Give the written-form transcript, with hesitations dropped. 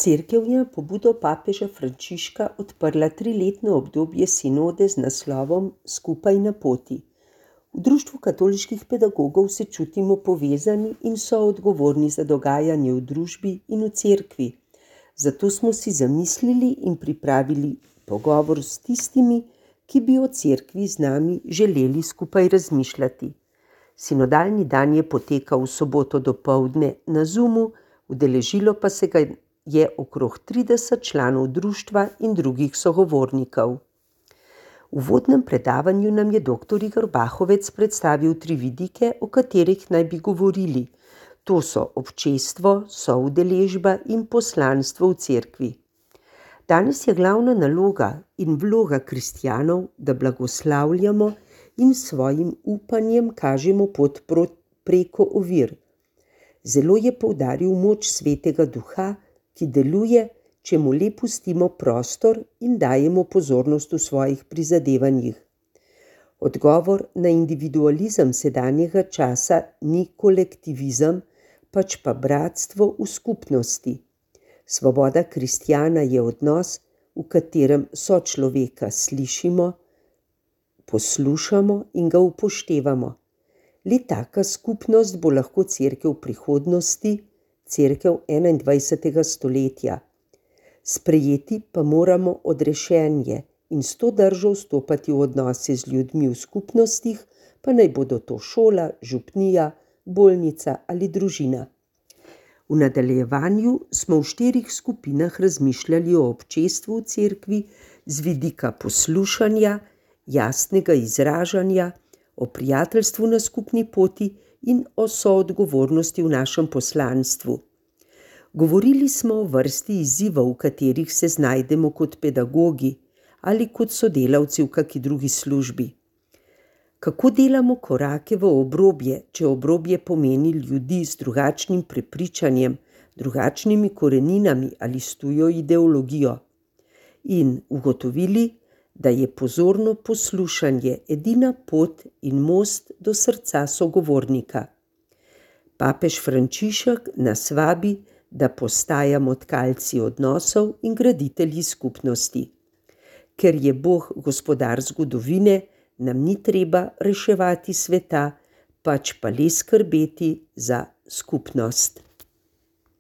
Cerkev je na pobudo papeža Frančiška odprla 3-letno obdobje sinode z naslovom Skupaj na poti. V Društvu katoliških pedagogov se čutimo povezani in soodgovorni za dogajanje v družbi in v cerkvi. Zato smo si zamislili in pripravili pogovor s tistimi, ki bi o cerkvi z nami želeli skupaj razmišljati. Sinodalni dan je potekal v soboto dopoldne na Zoomu, udeležilo pa se ga je okrog 30 članov društva in drugih sogovornikov. V uvodnem predavanju nam je dr. Igor Bahovec predstavil 3 vidike, o katerih naj bi govorili. To so občestvo, soudeležba in poslanstvo v cerkvi. Danes je glavna naloga in vloga kristjanov, da blagoslavljamo in svojim upanjem kažemo pot preko ovir. Zelo je poudaril moč Svetega Duha, ki deluje, če mu le pustimo prostor in dajemo pozornost v svojih prizadevanjih. Odgovor na individualizem sedanjega časa ni kolektivizem, pač pa bratstvo v skupnosti. Svoboda kristjana je odnos, v katerem sočloveka slišimo, poslušamo in ga upoštevamo. Le taka skupnost bo lahko cerkev prihodnosti, cerkev 21. stoletja. Sprejeti pa moramo odrešenje in s to držo vstopati v odnose z ljudmi v skupnostih, pa naj bodo to šola, župnija, bolnica ali družina. V nadaljevanju smo v 4 skupinah razmišljali o občestvu v cerkvi z vidika poslušanja, jasnega izražanja, o prijateljstvu na skupni poti in o soodgovornosti v našem poslanstvu. Govorili smo o vrsti izzivov, v katerih se znajdemo kot pedagogi ali kot sodelavci v kaki drugi službi. Kako delamo korake v obrobje, če obrobje pomeni ljudi z drugačnim prepričanjem, drugačnimi koreninami ali s tujo ideologijo? In ugotovili, da je pozorno poslušanje edina pot in most do srca sogovornika. Papež Frančišek nas vabi, da postajamo tkalci odnosov in graditelji skupnosti. Ker je Bog gospodar zgodovine, nam ni treba reševati sveta, pač pa le skrbeti za skupnost.